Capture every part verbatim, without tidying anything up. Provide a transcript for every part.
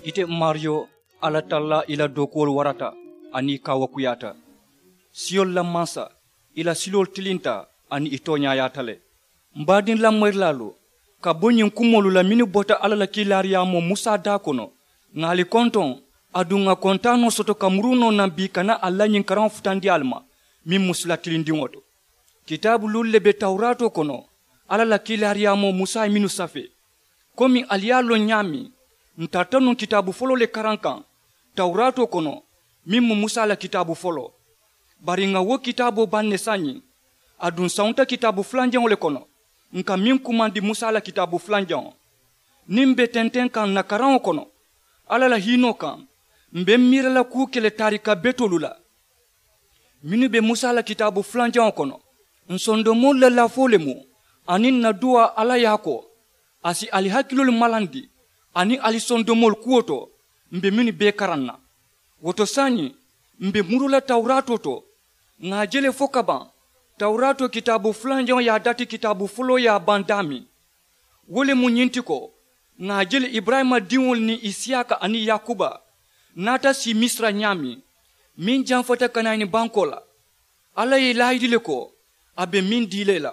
Ite maariyo, alla tallaa i la dookuwolu warata aniŋ i kaawakuyaata. Siyolu la mansa, i la siloolu tilinta aniŋ i tooñaayaata le. M baadiŋ lamoyirilaalu, ka bo ñiŋ kumoolu la mennu bota alla la kiilaariyaamoo musa daa kono, ŋà ali kontoŋ, aduŋ ŋà kontaanoo soto ka muruu noo naŋ bii ka naa ali la ñiŋ karaŋo futandi ali ma, meŋ mu sila tilindiŋo to. Kitaabu luulu le be tawuraatoo kono, alla la kiilaariyaamoo musa ye mennu safee. Komi ali ye a loŋ ñaameŋ, ǹ tarata nuŋ kitaabu foloo le karaŋ kaŋ tawuraatoo kono, meŋ mu musa la kitaabu foloo. Bari ŋà wo kitaaboo baŋ ne saayiŋ, aduŋ ǹ sawunta kitaabu fulanjaŋo le kono, ǹ ka meŋ kumandi musa la kitaabu fulanjaŋo. Niŋ m be tenteŋ kaŋ ǹ na karaŋo kono, alla la hiinoo kaŋ, m be m miira la kuu ke le taarika betoolu la. Mennu be musa la kitaabu fulanjaŋo kono, ǹ sondomoolu la lafoo le mu, aniŋ ǹ na duwaa alla ye a ko, a si ali hakiloolu malandi aniŋ ali sondomoolu kuwo to. M be mennu bee karaŋ na, wo to saayiŋ, m be muruu la tawuraatoo to, ŋà a je le fo ka baŋ. Tawuraatoo kitaabu fulanjaŋo ye a dati kitaabu foloo ye a baŋ daameŋ. Wo le mu ñiŋ ti ko, ŋà a je le iburayima diŋolu niŋ isiyaaka aniŋ yaakuba naata sii misira ñaameŋ, meŋ jamfata ka naa ñiŋ bankoo la. Alla ye ì laayidi le ko, a be meŋ dii la ì la.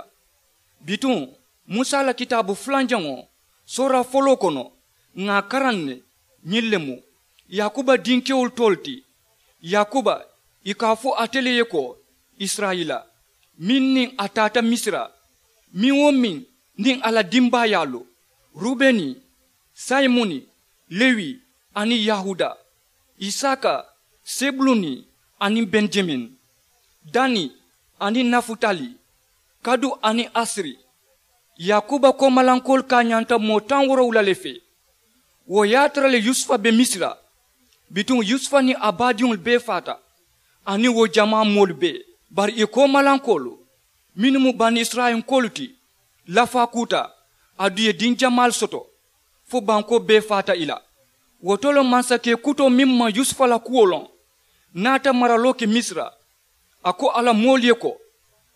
Bituŋ, musa la kitaabu fulanjaŋo, soora foloo kono, ŋà a karaŋ ne, ñiŋ le mu yaakuba dinkewolu toolu ti. Yaakuba, ì ka a fo ate le ye ko, isirayila, meŋ niŋ a taata misira, meŋ-wo-meŋ niŋ a la dimbaayaalu, rubeni, sayimuni, lewi, aniŋ yahuda, isaaka, sebuluni, aniŋ benjamin, dani, aniŋ nafutali, kadu, aniŋ asiri. Yaakuba koomalankoolu kaañanta moo taŋ woorowula le fee. Wo ye a tara le yusufa be misira. Bituŋ yusufa niŋ a baadiŋolu bee faata, aniŋ wo jamaa moolu bee. Bari ì koomalankoolu, mennu mu banisirayilankoolu ti, lafaa kuuta, aduŋ ì ye diŋ jamaalu soto, fo bankoo bee faata ì la. Wo to le mansakee kutoo meŋ maŋ yusufa la kuwo loŋ, naata maraloo ke misira. A ko a la moolu ye ko,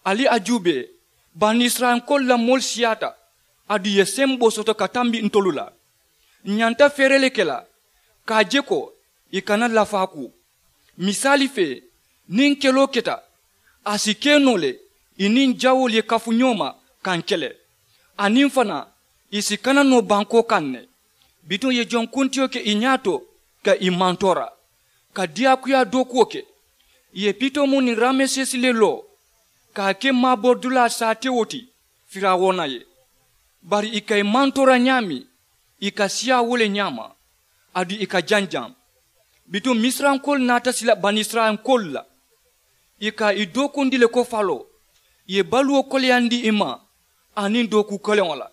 ali a juubee, banisirayilankoolu la moolu siyaata, aduŋ ì ye semboo soto ka tambi ntolu la. Ǹ ñanta feere le ke la ka a je ko, ì kana lafaa kuu. Misaali fee, niŋ keloo keta, a si ke noo le, ì niŋ jawoolu ye kafu ñoo ma ka ǹ kele, aniŋ fanaa, ì si kana noo bankoo kaŋ ne. Bituŋ ì ye jonkuntiyo ke ì ñaato, ka ì mantoora, ka diyaakuyaa dookuwo ke. Ì ye pitomu niŋ ramesesi le loo, ka a ke maaboridulaa saatewo ti firawuna ye. Bari ì ka ì mantoora ñaameŋ, ì ka siyaa wo le ñaama, aduŋ ì ka janjaŋ. Bituŋ misirankoolu naata sila banisirayilankoolu la. Ì ka ì dookundi le ko faloo, ì ye baluwo koleyandi ì ma, aniŋ dookuu koleŋo la.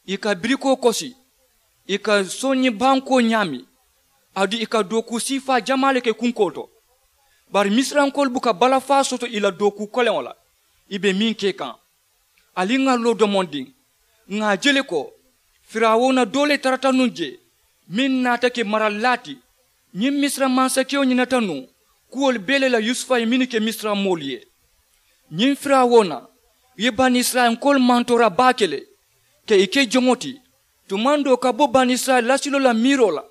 Ì ka birikoo kosi, ì ka soñi bankoo ñaami, aduŋ ì ka dookuu siifaa jamaa le ke kunkoo to. Bari misirankoolu buka balafaa soto ì la dookuu koleŋo la, ì be meŋ ke kaŋ. Ali ŋà a loo domondiŋ, ŋà a je le ko, firawuna doo le tarata nuŋ jee, meŋ naata ke maralilaa ti. Ñiŋ misira mansakewo ñinata nuŋ kuwolu bee le la yusufa ye mennu ke misira moolu ye. Ñiŋ firawuna ye banisirayilankoolu mantoora baake le, ka ì ke joŋo ti. Tumaŋ doo ka bo banisirayila lasiloo la miiroo la,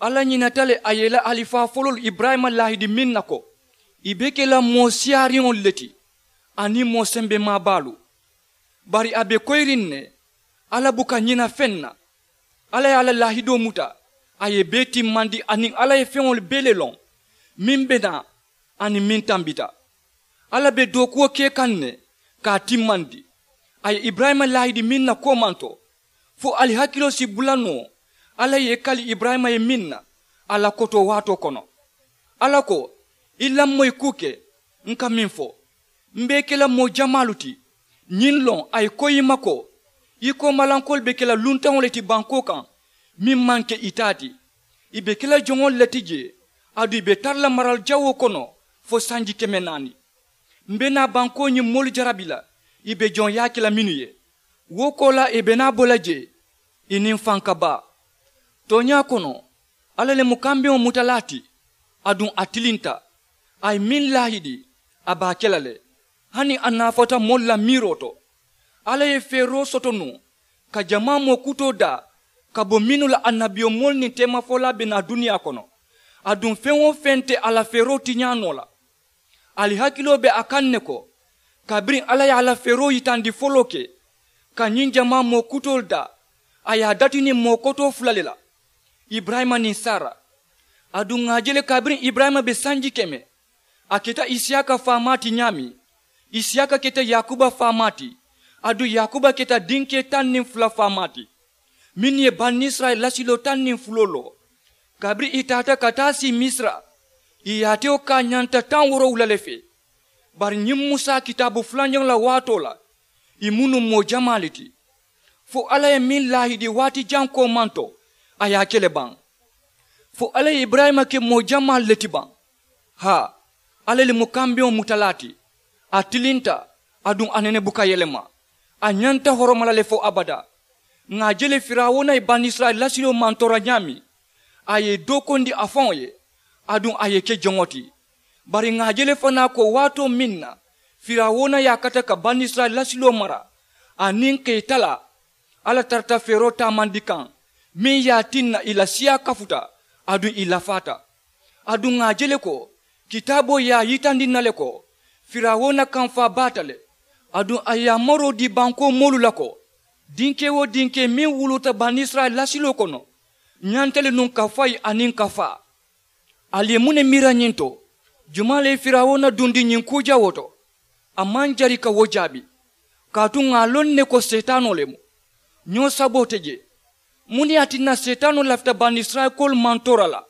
alla ñinata le a ye ì la alifaa foloolu iburayima laahidi meŋ na ko, ì be ke la moo siyaariŋolu le ti, aniŋ moo sembemaa baalu. Bari a be koyiriŋ ne, alla buka ñina feŋ na. Alla ye a la laahidoo muta, a ye bee timmandi aniŋ alla ye feŋolu bee le loŋ, meŋ be naa aniŋ meŋ tambita. Alla be dookuwo ke kaŋ ne, ka a timmandi. A ye iburayima laahidi meŋ na koomanto, fo ali hakiloo si bula noo alla ye i kali iburayima ye meŋ na, a la kotoo waatoo kono. Alla ko, i lamoyi kuu ke, ǹ ka meŋ fo. M be i ke la moo jamaalu ti. Ñiŋ loŋ a ye koyi i ma ko, i koomalankoolu be ke la luntaŋo le ti bankoo kaŋ, meŋ maŋ ke i taa ti. I be ke la joŋolu le ti jee, aduŋ i be tara la marali jawoo kono fo sanji keme naani. M be naa bankoo ñiŋ moolu jarabi la, i be joŋ yaake la mennu ye. Wo koolaa i be naa bo la jee, i niŋ faŋ ka baa. Tooñaa kono, alla le mu kambeŋo mutalaa ti, aduŋ a tilinta. A ye meŋ laahidi, a be a ke la le, hani a naafata moolu la miiroo to. Alla ye feeroo soto nuŋ ka jamaa moo kutoo daa, ka bo mennu la annabiyomoolu niŋ teemafolaa be naa duniyaa kono. Aduŋ feŋ-wo-feŋ te a la feeroo tiñaa noo la. Ali hakiloo be a kaŋ ne ko, kabiriŋ alla ye a la feeroo yitandi foloo ke ka ñiŋ jamaa moo kutoolu daa, a ye a dati niŋ moo kotoo fula le la, iburayima niŋ sara. Aduŋ ŋà a je le kabiriŋ iburayima be sanji keme, a keta isiyaaka faamaa ti ñaameŋ, isiyaaka keta yaakuba faamaa ti, aduŋ yaakuba keta dinkee taŋ niŋ fula faamaa ti, mennu ye banisirayila lasiloo taŋ niŋ fuloo loo. Kabiriŋ ì taata ka taa sii misira, ì yaatewo ka a ñanta taŋ woorowula le fee. Bari ñiŋ musa kitaabu fulanjaŋo la waatoo la, ì mu nuŋ moo jamaa le ti. Fo alla ye meŋ laahidi waati jaŋ koomanto, a ye a ke le baŋ. Fo alla ye iburayima ke moo jamaalu le ti baŋ. Haa, alla le mu kambeŋo mutalaa ti. A tilinta, aduŋ a nene buka yelema. A ñanta horoma la le fo abadaa. Ŋà a je le firawuna ye banisirayila lasiloo mantoora ñaameŋ, a ye ì dookondi a faŋo ye, aduŋ a ye ì ke joŋo ti. Bari ŋà a je le fanaa ko waatoo meŋ na firawuna ye a kata ka banisirayila lasiloo mara, aniŋ ka ì talaa, alla tarata feeroo taamandi kaŋ, meŋ ye a tinna ì la siyaa kafuta, aduŋ ì lafaata. Aduŋ ŋà a je le ko kitaaboo ye a yitandi ǹ na le ko firawuna kamfaa baata le. Aduŋ a ye a maroo dii bankoo moolu la ko, dinkee-wo-dinkee meŋ wuluuta banisirayila lasiloo kono, ñanta le nuŋ ka fayi aniŋ ka faa. Ali ye muŋ ne miira ñiŋ to? Jumaa le ye firawuna dundi ñiŋ kuu jawoo to? A maŋ jari ka wo jaabi. Kaatu ŋà a loŋ ne ko seetaanoo le mu. Ñoo saboo te jee. Muŋ ne ye a tinna seetaanoo lafita banisirayila koolu mantoora la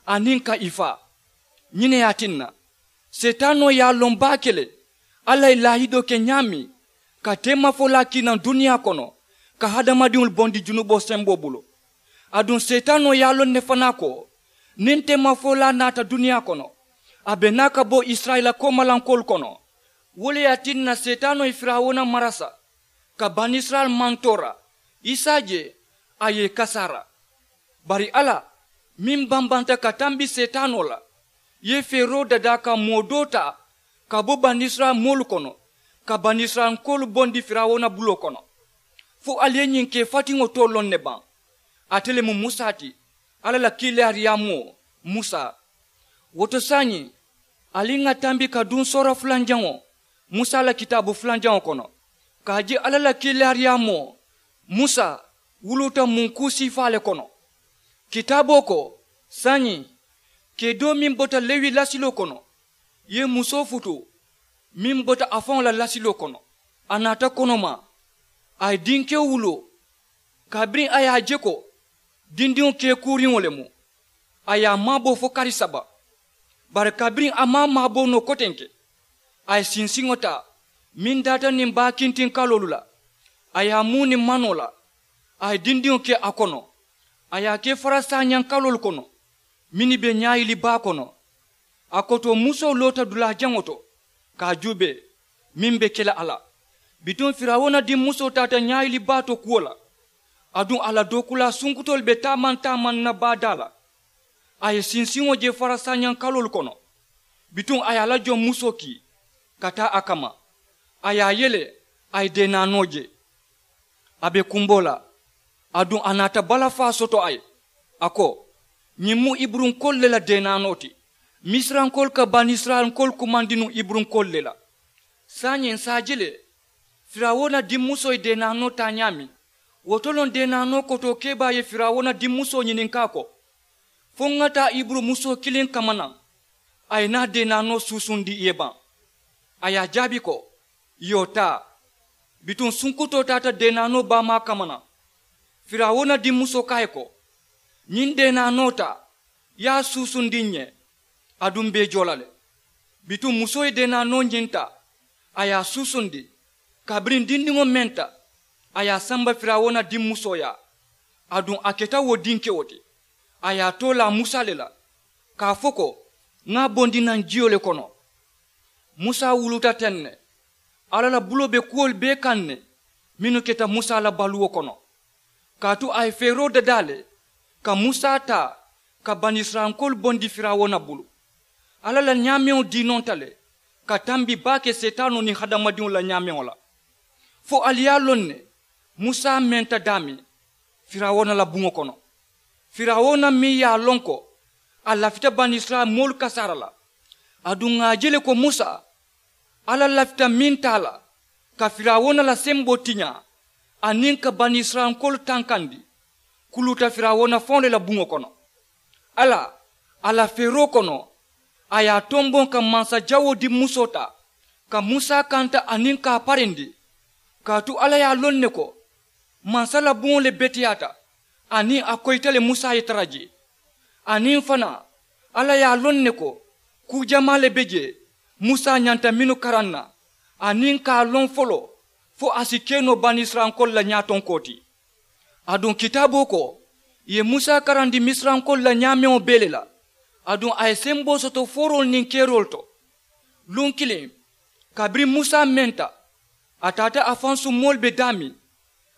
aniŋ ka ì faa? Ñiŋ ne ye a tinna seetaanoo ye a loŋ baake le, alla ye laahidoo ke ñaameŋ ka teemafolaa kii naŋ duniyaa kono, ka hadamadiŋolu bondi junuboo semboo bulu. Aduŋ seetaanoo ye a loŋ ne fanaa ko niŋ teemafolaa naata duniyaa kono, a be naa ka bo isirayila koomalankoolu kono. Wo le ye a tinna seetaanoo ye firawuna marasa ka banisirayila mantoora, i si a je a ye ì kasaara. Bari alla meŋ bambanta ka tambi seetaanoo la, ye feeroo dadaa ka moo doo taa ka bo banisirayila moolu kono, ka banisirayilankoolu bondi firawuna buloo kono. Fo ali ye ñiŋ kee fatiŋo too loŋ ne baŋ? Ate le mu musa ti, alla la kiilaariyaamoo musa. Wo to saayiŋ, ali ŋà tambi ka duŋ soora fulanjaŋo, musa la kitaabu fulanjaŋo kono, ka a je alla la kiilaariyaamoo musa wuluuta munkuu siifaa le kono. Kitaaboo ko, saayiŋ, kee doo meŋ bota lewi lasiloo kono ye musoo futuu meŋ bota a faŋo la lasiloo kono. A naata konomaa, a ye dinkewo wuloo. Kabiriŋ a ye a je ko dindiŋo kee kuuriŋo le mu, a ye a maaboo fo kari saba. Bari kabiriŋ a maŋ a maaboo noo kotenke, a ye sinsiŋo taa meŋ daata niŋ baa kintiŋ kaloolu la, a ye a muu niŋ manoo la. A ye dindiŋo ke a kono, a ye a ke farasaañaŋ kaloolu kono mennu be ñaayili baa kono. A kotoo musoo loota dulaa jaŋo to ka a juubee meŋ be ke la a la. Bituŋ firawuna dimmusoo taata ñaayili baa to kuwo la. Aduŋ a la dookulaa sunkutoolu be taamaŋ taamaŋ na baa daa la. A ye sinsiŋo je farasaañaŋ kaloolu kono. Bituŋ a ye a la joŋ musoo kii ka taa a kamma. A ye a yele, a ye deenaanoo je. A be kumboo la, aduŋ a naata balafaa soto a ye. A ko, ñiŋ mu iburunkoolu le la deenaanoo ti. Misirankoolu ka banisirayilankoolu kumandi nuŋ iburunkoolu le la. Saayiŋ ǹ si a je le, firawuna dimmusoo ye deenaanoo taa ñaameŋ, wo to loŋ deenaanoo kotoo kebaa ye firawuna dimmusoo ñininkaa ko, fo ŋa taa iburu musoo kiliŋ kamma naŋ a ye naa deenaanoo suusundi ì ye baŋ? A ye a jaabi ko, iyoo taa. Bituŋ sunkutoo taata deenaanoo baamaa kamma naŋ. Firawuna dimmusoo ko a ye ko, ñiŋ deenaanoo taa, ye a suusundi ǹ ye. Aduŋ m̀ be i joo la le. Bituŋ musoo ye deenaanoo ñiŋ taa, a ye a suusundi. Kabiriŋ dindiŋo menta, a ye a samba firawuna dimmusoo yaa. Aduŋ a keta wo dinkewo ti. A ye a too laa musa le la, ka a fo ko, ŋa a bondi naŋ jiyo le kono. Musa wuluta teŋ ne. Alla la buloo be kuwolu bee kaŋ ne mennu keta musa la baluwo kono. Kaatu a ye feeroo dadaa le ka musa taa ka banisirayilankoolu bondi firawuna bulu. Alla la ñaameŋo diinonta le ka tambi baake seetaanoo niŋ hadamadiŋo la ñaameŋo la. Fo ali ye a loŋ ne, musa menta daameŋ, firawuna la buŋo kono. Firawuna meŋ ye a loŋ ko a lafita banisirayila moolu kasaara la, aduŋ ŋà a je le ko musa alla lafita meŋ taa la ka firawuna la semboo tiñaa aniŋ ka banisirayilankoolu tankandi, kuluuta firawuna faŋo le la buŋo kono. Alla a la feeroo kono a ye a tomboŋ ka mansajawoo di musoo taa ka musa kanta aniŋ ka a parindi. Kaatu alla ye a loŋ ne ko mansa la buŋo le beteyaata aniŋ a koyita le musa ye tara jee. Aniŋ fanaa alla ye a loŋ ne ko kuu jamaa le be jee musa ñanta mennu karaŋ na aniŋ ka a loŋ foloo fo a si ke noo banisirayilankoolu la ñaatonkoo ti. Aduŋ kitaaboo ko ì ye musa karandi misirankoolu la ñaameŋo bee le la. Aduŋ a ye semboo soto fooroolu niŋ keeroolu to. Luŋ kiliŋ kabiriŋ musa menta a taata a fansuŋ moolu be daameŋ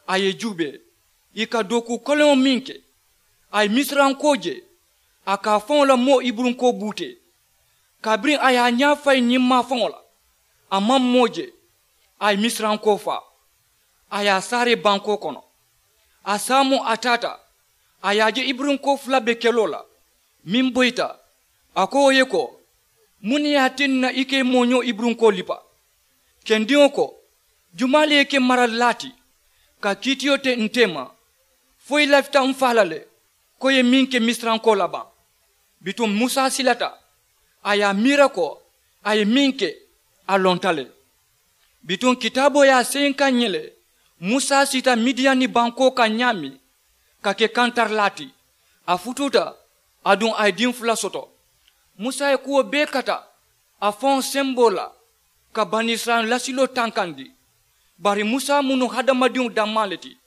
a ye i juubee ì ka dookuu koleŋo meŋ ke. A ye misirankoo je a ka a faŋo la moo iburunkoo buutee. Kabiriŋ a ye a ñaa fayi ñiŋ maafaŋo la a maŋ moo je. A ye misirankoo faa a ye a saaree bankoo kono. A saamoo a taata a ye a je iburunkoo fula be keloo la meŋ boyita. A ko wo ye ko muŋ ne ye a tinna i ka i mooñoo iburunkoo lipa? Kendiŋo ko jumaa le ye ke maralilaa ti ka kiitiyo te nte ma fo i lafita n faa la le ko i ye meŋ ke misirankoo la baŋ? Bituŋ musa silata a ye a miira ko a ye meŋ ke a lonta le. Bituŋ kitaaboo ye a seyinkaŋ ñiŋ le musa siita midiyani bankoo kaŋ ñaameŋ ka ke kantarilaa ti. A futuuta aduŋ a ye diŋ fula soto. Musa ye kuwo bee kata a faŋo semboo la ka banisirayila lasiloo tankandi. Bari musa mu nuŋ hadamadiŋo dammaa le ti.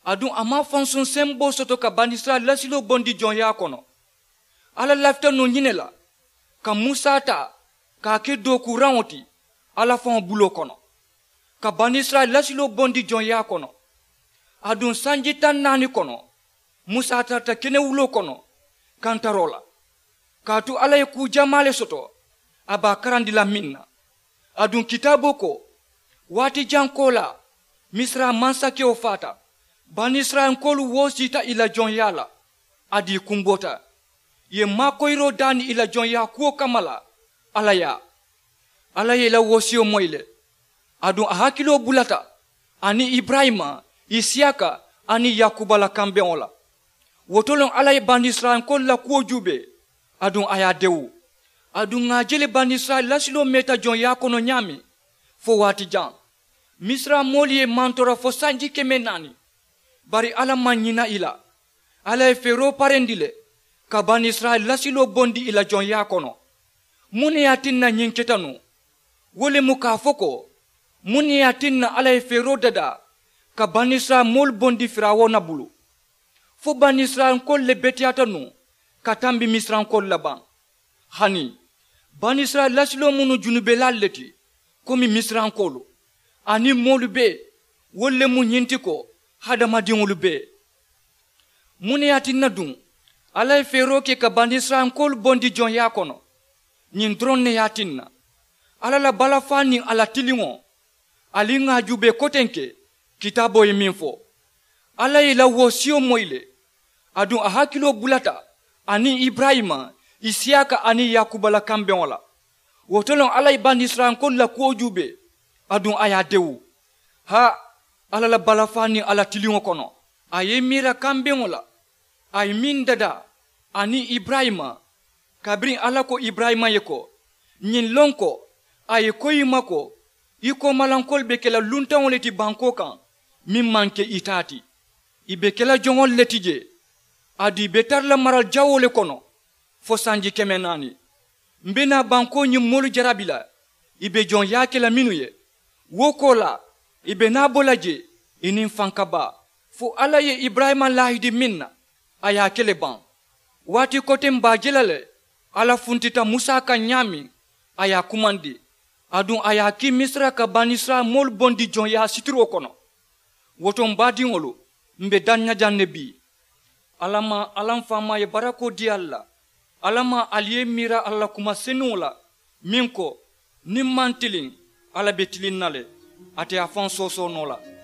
Aduŋ a maŋ fansuŋ semboo soto ka banisirayila lasiloo bondi joŋyaa kono. Alla lafita nuŋ ñiŋ ne la ka musa taa ka a ke dookuuraŋo ti alla faŋo buloo kono ka banisirayila lasiloo bondi joŋyaa kono. Aduŋ sanji taŋ naani kono musa tarata kenewuloo kono kantaroo la. Kaatu alla ye kuu jamaa le soto a be a karandi la meŋ na. Aduŋ kitaaboo ko waati jaŋ koolaa misira mansakewo faata. Banisirayilankoolu woo siita ì la joŋyaa la. Aduŋ ì kumboota ì ye maakoyiroo daani ì la joŋyaa kuwo kamma la. Alla ye a alla ye ì la wosiyo moyi le. Aduŋ a hakiloo bulata aniŋ iburayima, isiyaka aniŋ yakuba la kambeŋo la. Wo to loŋ alla ye banisirayilankoolu la kuwo juubee aduŋ a ye a dewu. Aduŋ ŋà a je le banisirayila lasiloo meeta joŋyaa kono ñaameŋ fo waati jaŋ. Misira moolu ye ì mantora fo sanji keme naani. Bari alla maŋ ñina ì la. Alla ye feeroo parendi le ka banisirayila lasiloo bondi ì la joŋyaa kono. Muŋ ne ye a tinna ñiŋ keta nuŋ? Wo le mu ka a fo ko muŋ ne ye a tinna alla ye feeroo dadaa ka banisirayila moolu bondi firawuna bulu? Fo banisirayilankoolu le beteyaata nuŋ ka tambi misirankoolu la baŋ? Hani banisirayila lasiloo mu nuŋ junubelaalu le ti komi misirankoolu. Aniŋ moolu bee wolu le mu ñiŋ ti ko hadamadiŋolu bee. Muŋ ne ye a tinna duŋ alla ye feeroo ke ka banisirayilankoolu bondi joŋyaa kono? Ñiŋ doroŋ ne ye a tinna alla la balafaa niŋ a la tiliŋo. Ali ŋà a juubee kotenke kitaaboo ye meŋ fo. Alla ye ì la wosiyo moyi le. Aduŋ a hakiloo bulata aniŋ iburayima, isiyaka aniŋ yakuba la kambeŋo la. Wo to loŋ alla ye banisirayilankoolu la kuwo juubee aduŋ a ye a dewu. Haa, alla la balafaa niŋ a la tiliŋo kono a ye i miira kambeŋo la a ye meŋ dadaa aniŋ iburayima. Kabiriŋ alla ko iburayima ye ko ñiŋ loŋ ko a ye koyi i ma ko i koomalankoolu be ke la luntaŋo le ti bankoo kaŋ meŋ maŋ ke i taa ti. Ì be ke la joŋolu le ti jee. Aduŋ ì be tara la marali jawoo le kono fo sanji keme naani. M be naa bankoo ñiŋ moolu jarabi la ì be joŋyaa ke la mennu ye. Wo koolaa ì be naa bo la jee ì niŋ fankabaa. Fo alla ye iburayima laahidi meŋ na a ye a ke le baŋ. Waati koteŋ m be a je la le alla funtita musa kaŋ ñaameŋ a ye a kumandi. Aduŋ a ye a kii misira ka banisirayila moolu bondi joŋyaa sitiroo kono. Wo to m baadiŋolu m be daŋ ña jaŋ ne bii. Alla maŋ alla m faamaa ye barakoo dii ali la. Alla maŋ ali ye i miira alla la kuma senuŋo la meŋ ko niŋ m maŋ tiliŋ alla be tiliŋ na le. Ate ye a faŋ soosoo noo la.